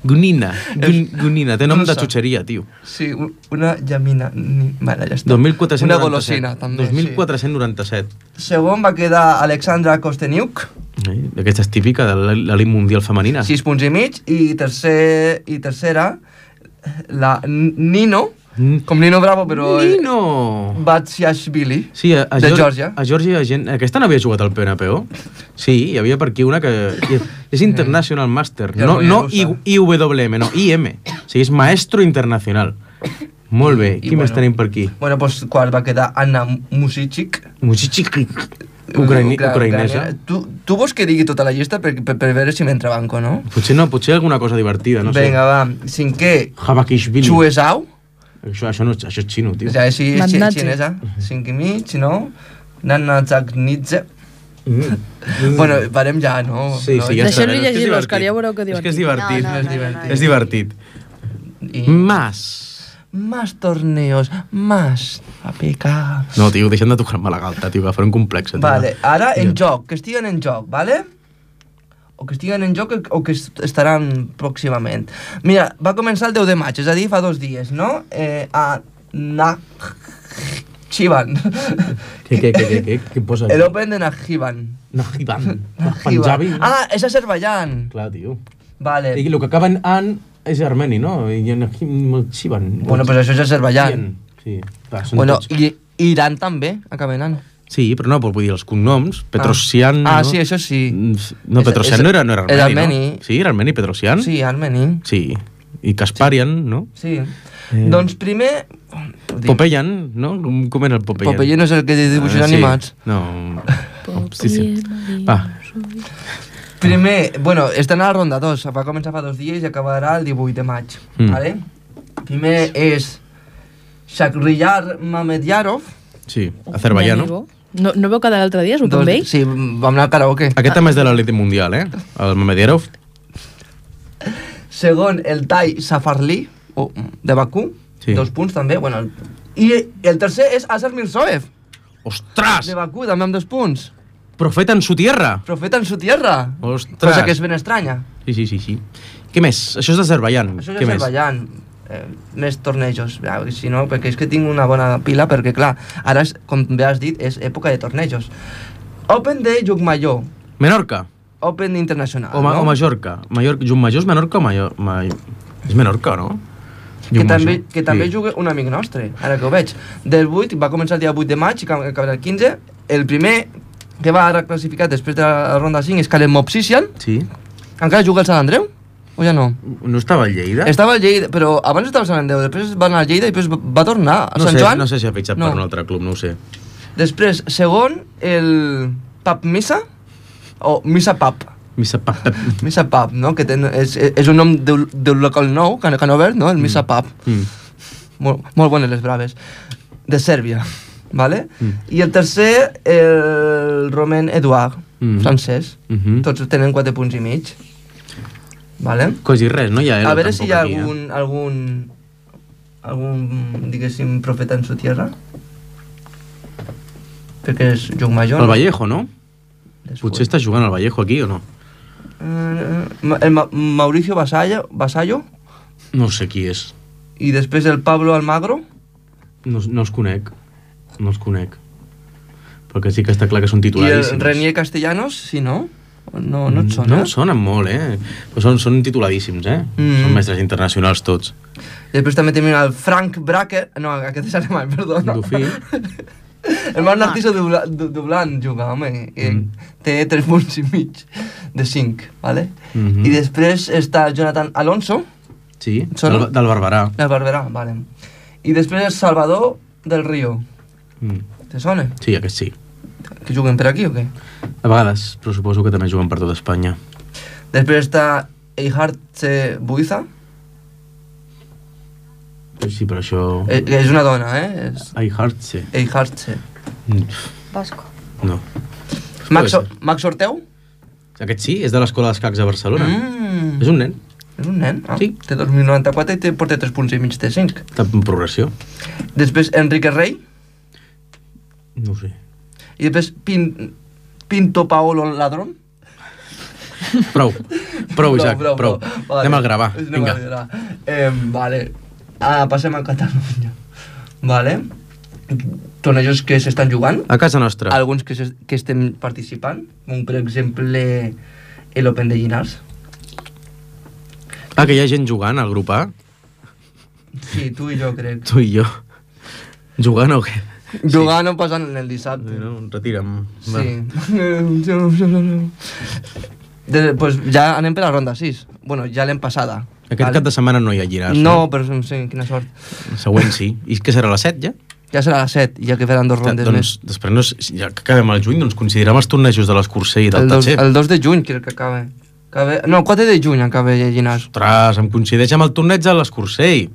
Gunina. Gun Gunina. Té nom de russa. xutxeria, tio. Sí, un- una llamina... ni- Vale, ja està. dos mil quatre-cents Una noranta-set. golosina, també, dos mil quatre-cents noranta-set. sí. Segon va quedar Alexandra Kosteniuk, Eh? Aquesta és típica de l'elit mundial femenina. sis punts i mig, i, tercer, i tercera, la N- Nino, Mm. com Nino Bravo, però... Nino! Batsiashvili, Sí, a, a de Geor- Geòrgia. A Geòrgia hi ha gent... Aquesta no havia jugat al P N P O? Sí, hi havia per aquí una que... És International Master. Ja No, no no hi ha I- I W M, no, I M. O sigui, és Maestro Internacional. Molt bé. I Qui més bueno. tenim per aquí? Bueno, doncs quart va quedar Anna Musichik, Musichik. Ucraïni, Ucra- ucraïnesa. ucraïnesa. Tu, tu vols que digui tota la llista per, per, per veure si m'entrebanco, no? Potser no, potser alguna cosa divertida, no Vinga, sé. va. Cinquè, Habakishvili. Chuezao. Això, això, no, això és xino, tio. O sigui, si és xi- Natnatze. xinesa. Cinc i mig, no? Nana Zagnidze. Mm. Bueno, parem ja, no? Sí, no? sí, ja està. Deixem-li És que és llegir l'Òscar, divertit. ja veureu que És que és divertit. divertit. No, no, és no, divertit. no, És divertit. I... Mas. Más torneos, más a pecar. No, tio, deixem de tocar-me la galta, tio, que faré un complex. Tio. Vale, ara en Ja. joc, que estiguen en joc, vale? O que estiguen en joc o que est- estaran pròximament. Mira, va començar el deu de maig, és a dir, fa dos dies, no? Eh, a Nakhchivan. Què, què, què, què, què, què posa? El Open de Nakhchivan. Nahiban. Nakhchivan. Punjabi. Ah, és Azerbaijan. Clar, tio. Vale. I el que acaba en an és armeni, no? I en Chivan. Bueno, pues això és Azerbaijan. Sí, clar, són Bueno, tots... i Iran també, acaba en an. Sí, però no, vull dir, els cognoms, Petrosian... Ah, no? sí, això sí. Mm, No, És- Petrosian és- no era, no era armeni, era armeni. no? Sí, era armeni, Petrosian? Sí, armeni. Sí. I Kasparian, no? Sí. Eh. Doncs primer... ho dic. Popeyan, no? Com, com era el Popeyan? Popeye no és el que dibuixen Ah, sí. animats. No... Sí, sí. Va, Primer, bueno, estan a la ronda dos, va començar fa dos dies i acabarà el divuit de maig. Mm. Vale? Primer és Shakhriyar Mamedyarov, sí, Azerbaiyano. Mi amigo. No, no veu quedar l'altre dia, jugar amb ell? Sí, vam anar al karaoke. Aquest també és de l'elite mundial, eh? El Mamedierov. Segon, el Tai Safarli, oh, de Bakú, Sí. dos punts també. Bueno, el... I el tercer és Azar Mirzoev, Ostres! de Bakú, també amb dos punts. Profeta en su tierra. Profeta en su tierra. Ostres. Cosa que és ben estranya. Sí, sí, sí, sí. Què més? Això és d'Azerbaiyán. Això és Què més? Azerbaiyán. Eh, més tornejos. Ja, si no, perquè és que tinc una bona pila, perquè clar, ara, és, com bé has dit, és època de tornejos. Open de Llucmajor. Menorca. Open internacional, O, ma no? o Mallorca. Mallorca. Llucmajor és Menorca o Mallorca? Ma... És Menorca, no? Que Llucmajor. també, que també Sí. juga un amic nostre, ara que ho veig. Del vuit, va començar el dia vuit de maig i acabarà el quinze. El primer que va ara classificat després de la ronda cinc és Kalem Mopsisian. Sí. Encara juga al Sant Andreu? O ja no? No estava a Lleida? Estava al Lleida, però abans estava al Sant Andreu, després va anar al Lleida i després va tornar a no Sant sé, Joan. No sé si ha fitxat No. per un altre club, no ho sé. Després, segon, el Pap Missa, o Missa Pap. Missa Pap. Missa Pap, no? Que ten, és, és un nom d'un d'un local nou, que, que han obert, no? El Missa Pap. Mm. Molt, molt bones les braves. De Sèrbia, vale? Mm. I el tercer, el Romain Edouard, Mm. francès. Mhm. Tots tenen quatre punts i mig. Vale? Quasi res, no hi ha A Elo veure si tampoc hi ha aquí, eh? algun, algun, algun, diguéssim, profeta en su tierra. Perquè és Lluc Major. El Vallejo, no? Después. Potser està jugant al Vallejo aquí o no? Eh, Ma- el Ma Mauricio Vasallo, Vasallo No sé qui és. i després el Pablo Almagro. No, no els conec. No els conec. Però que sí que està clar que són I el tituladíssims. Renier Castellanos, sí, no? No, no et sona? No em sonen molt, eh? Però són, són tituladíssims, eh? Mm. Són mestres internacionals tots. I després també tenim el Frank Bracker. No, aquest és alemany, perdona. Dufí. El Marc Narciso Dubla- Du- Dublan juga, home. I Mm. Té tres punts i mig de cinc, vale? Mhm. I després està Jonathan Alonso, Sí, Sona? del, del Barberà. del Barberà, vale. I després el Salvador del Río. Mm. Te sona? Sí, aquest sí. Que juguen per aquí o què? A vegades, però suposo que també juguen per tot Espanya. Després està Eihartze Buiza. Sí, però això... Eh, és una dona, eh? És I heart sí. Eihartze. Mm, Vasco. No. Max, Puede Max Orteu? Aquest sí, és de l'Escola d'Escacs de Barcelona. Mm. És un nen. És un nen, ah. Sí. Té dos mil noranta-quatre i té, porta tres punts i mig, té cinc. Està en progressió. Després Enrique Rey. No ho sé. I després Pin, Pinto Paolo Ladrón. Prou. Prou, Isaac, prou. prou. Vale. Anem al gravar, Anem vinga. al gravar. Eh, vale. Ah, passem a Catalunya. Vale. Tornejos que s'estan jugant. A casa nostra. Alguns que, se, que estem participant. Com per exemple l'Open de Llinars. Ah, que hi ha gent jugant al grup A? Sí, tu i jo crec. Tu i jo. Jugant o què? Jugant o passant el dissabte. No, retira'm. Va. Sí. De, pues ja anem per la ronda sis. Bueno, ja l'hem passada. Aquest cap de setmana no hi ha llinars. No, però sí, quina sort. El següent sí. I què serà, a les set ja? Ja serà a les set, ja que faran dos rondes doncs, més. després, no, és- ja que acabem al juny, doncs considerem els tornejos de l'Escursell i del El dos, Tatxer. el dos de juny crec que acaba. acaba. No, el quatre de juny acaba Llinars. Ostres, em coincideix amb el torneig de l'Escursell.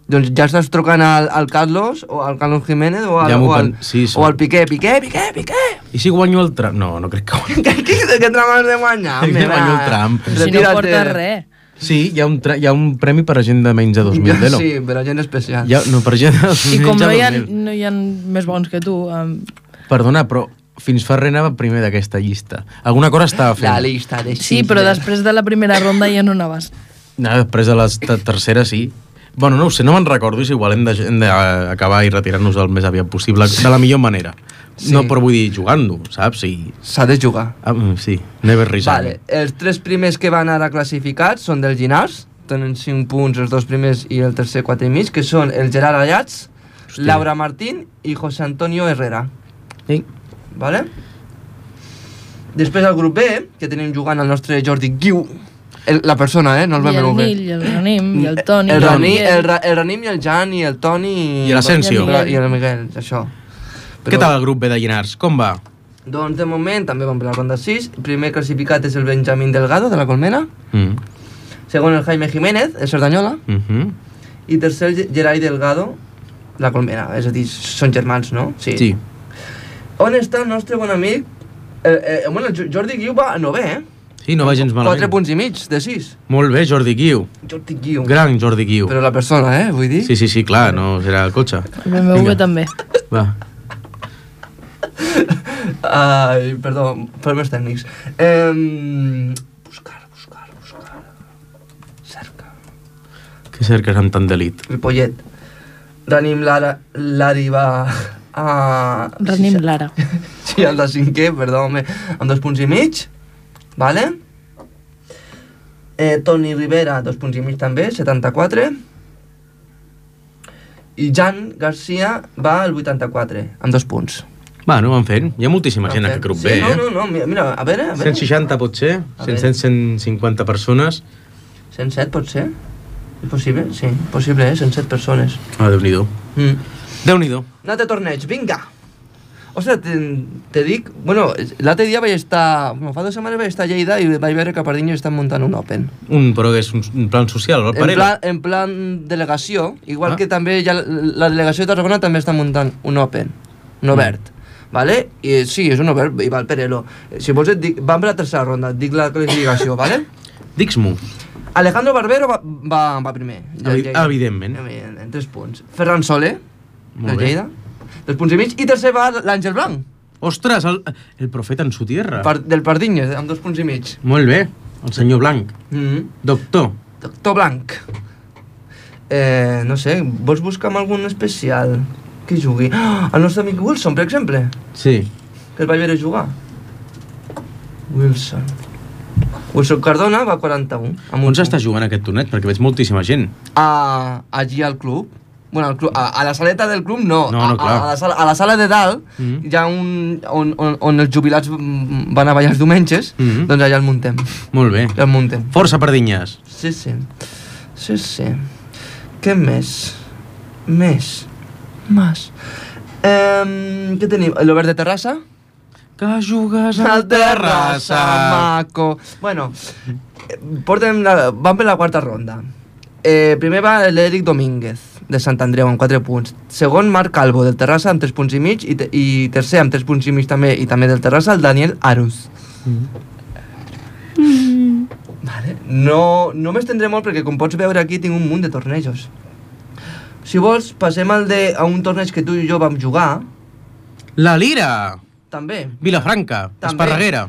Doncs ja estàs trucant al, al Carlos, o al Carlos Jiménez, o al, Ja m'ho o al, pen- sí, sí. o al Piqué. Piqué, Piqué, Piqué! I si guanyo el tram? No, no crec que guanyi. Què, què, què tram has de guanyar? Que home, guanyo el va. tram. Si no Retira't. porta res. Sí, hi ha un, tra- hi ha un premi per a gent de menys de dos mil d'Elo. Sí, per a gent especial. Hi ha, no, per gent de I com menys no de hi, ha, dos mil. no hi ha més bons que tu, um, Perdona, però fins fa res anava primer d'aquesta llista. Alguna cosa estava fent. La lista de sí, però després de la primera ronda ja no anaves. No, després de la t- tercera sí. Bueno, no ho sé, no me'n recordo, és igual, hem de- hem d'acabar i retirar-nos el més aviat possible, de la millor manera. Sí. No, però vull dir, jugant-ho, saps? I, S'ha de jugar. ah, sí, never resign. Vale, els tres primers que van ara classificats són del Llinars, tenen cinc punts els dos primers i el tercer quatre i mig, que són el Gerard Ayats, Hòstia. Laura Martín i José Antonio Herrera. Sí. Vale? Després al grup B, que tenim jugant el nostre Jordi Guiu, el, la persona, eh? No el I vam el veure bé. Nil, i el Ranim, i el Toni, El, i Rani, Miguel. el, Ra, el Ranim i el Jan i el Toni... I l'Asensio. I el, I el Miguel, això. Què tal el grup B de Llinars? Com va? Doncs de moment també vam per la ronda sis. El primer classificat és el Benjamín Delgado, de la Colmena. Mm. Segon el Jaime Jiménez, el Cerdanyola. Mm -hmm. I tercer el Ge- Gerai Delgado, la Colmena. És a dir, són germans, no? Sí. On està el nostre bon amic? Eh, eh, bueno, el Jordi Guiu va a novè, eh? Sí, no va gens malament. Quatre punts i mig, de sis. Molt bé, Jordi Guiu. Jordi Guiu. Gran Jordi Guiu. Però la persona, eh, vull dir? Sí, sí, sí, clar, no serà el cotxe. El B M W també. Va. Ai, perdó, problemes tècnics. Eh, buscar, buscar, buscar. Cerca. Què cerques amb tant d'elit? Ripollet. Ranim Lara, Lari va a... Ranim Lara. Sí, el de cinquè, perdó, home, amb dos punts i mig, vale? Eh, Toni Rivera, dos punts i mig també, setanta-quatre. I Jan Garcia va al vuitanta-quatre, amb dos punts. Va, no van fent. Hi ha moltíssima gent en aquest grup sí, B, no, eh? no, no, mira, mira, a veure, a veure. cent seixanta pot ser, A cent, veure. cent cinquanta persones. cent set pot ser? És possible? Sí, possible, eh? cent set persones. Ah, Déu-n'hi-do. Mm. Déu-n'hi-do. Un altre torneig, vinga! Ostres, te, te dic... Bueno, l'altre dia vaig estar... Bueno, fa dues setmanes vaig estar a Lleida i vaig veure que a Pardinyes estan muntant un Open. Un, però és un, un plan social, el En Parela. plan, en plan delegació, igual Ah. que també ja la, la delegació de Tarragona també està muntant un Open, un obert. Vale? I sí, és un obert, i va el Perelo. Si vols et dic... Vam per la tercera ronda, et dic la classificació, vale? Dix-m'ho. Alejandro Barbero va, va, va primer. Evi- Lleida. evidentment. En, en tres punts. Ferran Soler, Molt de bé. Lleida, dos punts i mig. I tercer va l'Àngel Blanc, Ostres, el, el profeta en su tierra. par, del Pardinyes, amb dos punts i mig. Molt bé. El senyor Blanc. Mm -hmm. Doctor. Doctor Blanc. Eh, no sé, vols buscar amb algun especial que jugui? Ah, el nostre amic Wilson, per exemple, Sí. que el vaig veure jugar. Wilson. Wilson Cardona va quaranta-un. Amb On s'està jugant aquest torneig? Perquè veig moltíssima gent. A, allí al club. Bueno, al club, a, a la saleta del club no, No, no, a, clar. a, la sala, a la sala de dalt Mhm. hi ha un... On, on, on els jubilats mm, van a ballar els diumenges, Mhm. doncs allà el muntem. Molt bé. Ja el muntem. Força Pardinyes. Sí, sí. Sí, sí. Què més? Més. Mas. Um, què tenim? L'Obert de Terrassa? Que jugues al Terrassa. Maco. Bueno, eh, portem la, vam per la quarta ronda. Eh, primer va l'Eric Domínguez, de Sant Andreu, amb quatre punts. Segon, Marc Calvo, del Terrassa, amb tres punts i mig. I, te, i tercer, amb tres punts i mig també, i també del Terrassa, el Daniel Aruz. Mm. Vale. No, no m'estendré molt perquè, com pots veure aquí, tinc un munt de tornejos. Si vols, passem al de, a un torneig que tu i jo vam jugar, La Lira. també. Vilafranca. També. Esparreguera.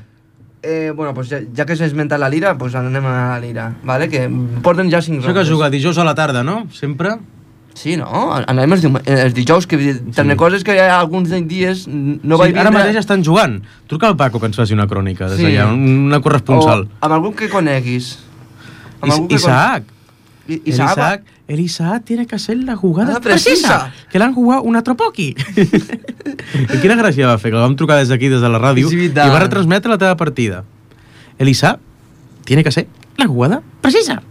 Eh, bueno, pues ja, ja que s'ha esmentat la Lira, pues anem a la Lira, vale? Que porten ja cinc Això que rondes. juga dijous a la tarda, no? Sempre? Sí, no? Anem els, dium- els dijous, que també Sí. coses que hi ha alguns dies no sí, vaig ara vindre... mateix estan jugant. Truca al Paco que ens faci una crònica des Sí. d'allà, una corresponsal. O amb algun que coneguis. Amb Is algun que Isaac. con- I- El Isaac. Isaac, el Isaac tiene que hacer la jugada Ah, precisa. que l'han jugat un altre poqui. I quina gràcia va fer, que la vam trucar des d'aquí, des de la ràdio, És i veritat. va retransmetre la teva partida. El Isaac tiene que hacer la jugada precisa.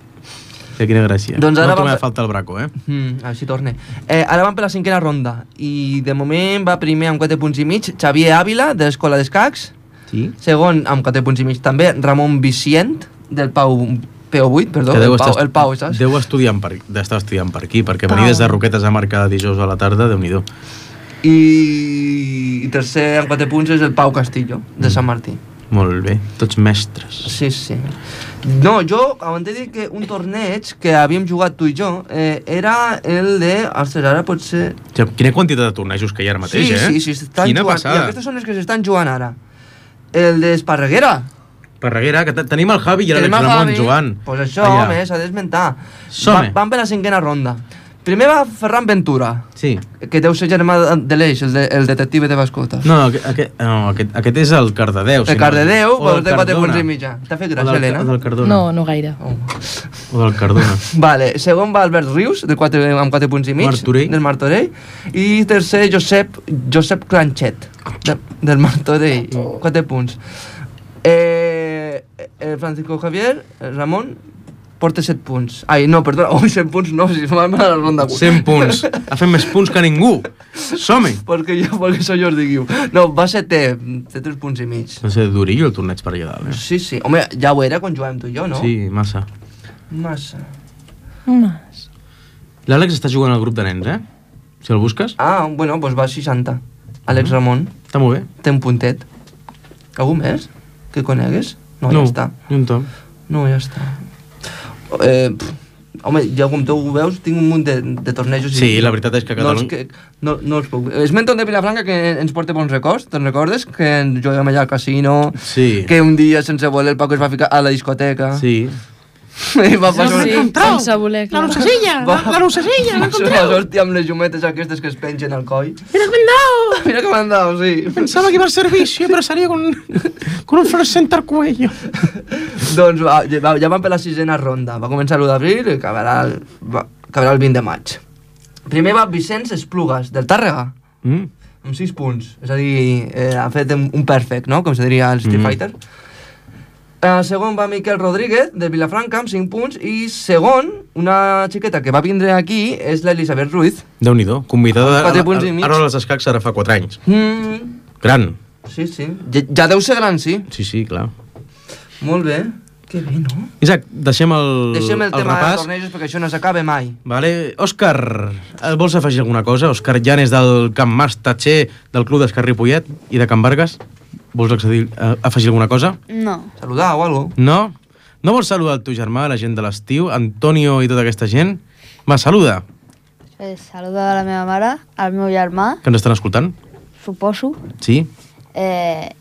Que quina gràcia. Doncs ara no vam t'ho fer- falta el braco, eh? Mm, així torne. Eh, ara vam per la cinquena ronda i de moment va primer amb quatre punts i mig Xavier Ávila, de l'Escola d'Escacs. Sí. Segon, amb quatre punts i mig també, Ramon Vicient, del Pau P O vuit, perdó, Que deu el Pau, estar- el Pau, saps? Deu estudiant per, d'estar estudiant per aquí, perquè Pau. venir des de Roquetes a Mar cada dijous a la tarda, Déu-n'hi-do. I, I tercer, amb quatre punts, és el Pau Castillo, de Sant Martí. Molt bé, tots mestres. Sí, sí. No, jo, abans de dir que un torneig que havíem jugat tu i jo, eh, era el de... Ostres, ara pot ser... O sigui, quina quantitat de tornejos que hi ha ara mateix, sí, eh? sí, sí, estan Quina jugant. I passada. aquestes són les que s'estan jugant ara. El d'Esparreguera. Parreguera, que te- tenim el Javi i l'Àlex Tenim el Ramon Javi. jugant. Pues això, Allà. home, s'ha d'esmentar. Som-hi. Va, van per la cinquena ronda. Primer va Ferran Ventura, Sí. que deu ser germà de l'Eix, el, de, el detective de mascotes. No, aquest, aquest, no aquest, aquest és el Cardedeu. El Cardedeu, O del pues, de quatre Cardona. punts i mitja. T'ha fet O gràcia, del, Helena? o del Cardona. No, no gaire. Oh. O del Cardona. Vale, segon va Albert Rius, de quatre, amb quatre punts i mig, Martorell. del Martorell. I tercer, Josep, Josep Clanchet, de, del Martorell, quatre punts. Eh, eh, Francisco Javier, eh, Ramon, porta set punts. Ai, no, perdona, ui, set punts no, si vam a la ronda. cent punts. Ha fet més punts que ningú. Som-hi. Perquè jo, perquè soy Jordi Guiu. No, va ser té, té tres punts i mig. No sé, durillo el torneig per allà dalt, eh? Sí, sí. Home, ja ho era quan jugàvem tu i jo, no? Sí, massa. Massa. Mas. L'Àlex està jugant al grup de nens, eh? Si el busques. Ah, bueno, doncs va a seixanta. Àlex Ramon. Està molt bé. Té un puntet. Algú més que conegues? No, no ja està. Ni un tom. No, ja està. Eh, pff, home, ja com tu ho veus, tinc un munt de, de tornejos. Sí, i la veritat és que a Catalunya... No, que, no, no els puc... Esmento de Vilafranca que ens porta bons records, te'n recordes? Que juguem allà al casino, Sí. que un dia sense voler el Paco es va ficar a la discoteca. Sí. I va passar... Sí, sense voler, clar. lucecilla! Va. La lucecilla! Va ser una hòstia amb les llumetes aquestes que es pengen al coll. Mira que m'han dado! Mira que m'han dado, sí. Pensaba que iba al servicio, pero salía con, con un fluorescente al cuello. Doncs va, ja, ja van per la sisena ronda. Va començar l'u d'abril i acabarà el, va, acabarà el vint de maig. Primer va Vicenç Esplugues, del Tàrrega, Mm. amb sis punts. És a dir, eh, ha fet un un perfect, no?, com se diria al Street Mm. Fighter. Uh, segon va Miquel Rodríguez, de Vilafranca, amb cinc punts. I segon, una xiqueta que va vindre aquí, és l'Elisabet Ruiz. Déu-n'hi-do, convidada Quatre a, punts i a, mig. ara als escacs ara fa quatre anys. Mm, Gran. sí, sí. Ja, ja deu ser gran, sí. Sí, sí, clar. Molt bé. Que bé, no? Isaac, deixem el, Deixem el, el tema dels repàs. tornejos perquè això no s'acaba mai. Vale. Òscar, eh, vols afegir alguna cosa? Òscar Llanes del Camp Mas Tatxer, del Club d'Escar Ripollet i de Can Vargas. Vols accedir, uh, afegir alguna cosa? No. Saludar o algo. No? No vols saludar el teu germà, la gent de l'estiu, Antonio i tota aquesta gent? Va, saluda, Eh, saluda a la meva mare, al meu germà, que ens estan escoltant. suposo, Sí? eh,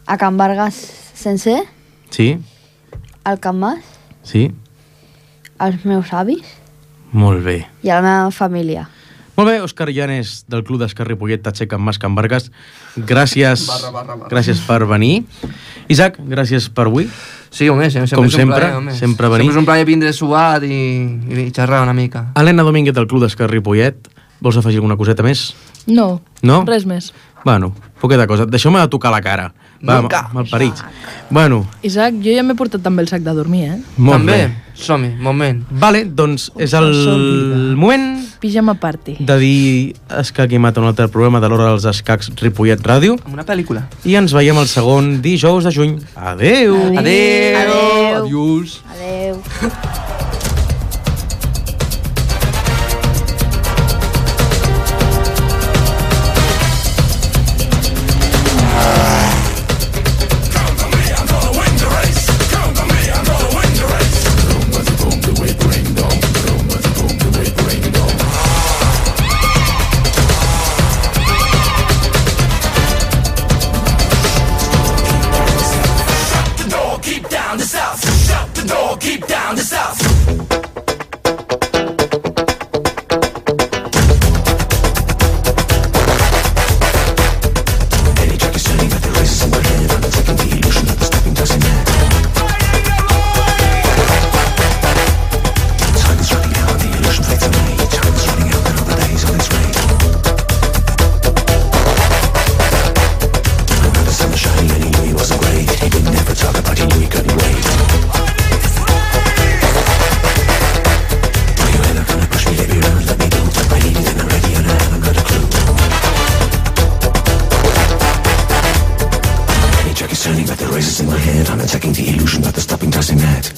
a Can Vargas sencer, Sí? al Can Mas, Sí? als meus avis Molt bé. i a la meva família. Molt bé, Òscar Llanes, del Club d'Escar Ripollet, Tatxer, Can Mas, Can Vargas. Gràcies, Barra, barra, barra. gràcies per venir. Isaac, gràcies per avui. Sí, home, sempre, Com és un sempre, plaer, home. sempre venir. Sempre és un plaer vindre suat i, i xerrar una mica. Helena Domínguez, del Club d'Escar Ripollet. Vols afegir alguna coseta més? No, No? res més. Bueno, poqueta cosa. Deixeu-me de tocar la cara. Va, Nunca. malparits. Bueno, Isaac, jo ja m'he portat també el sac de dormir, eh? molt També, bé. som-hi, moment. Vale, doncs és Uf, el s'oblida. moment Pijama party. de dir Escac i Mata, un altre programa de l'Hora dels Escacs Ripollet Ràdio. Amb una pel·lícula. I ens veiem el segon dijous de juny. Adeu! Adéu! Adéu. Adiós! Adeu. Turning back the races in my head, I'm attacking the illusion that the stopping doesn't net.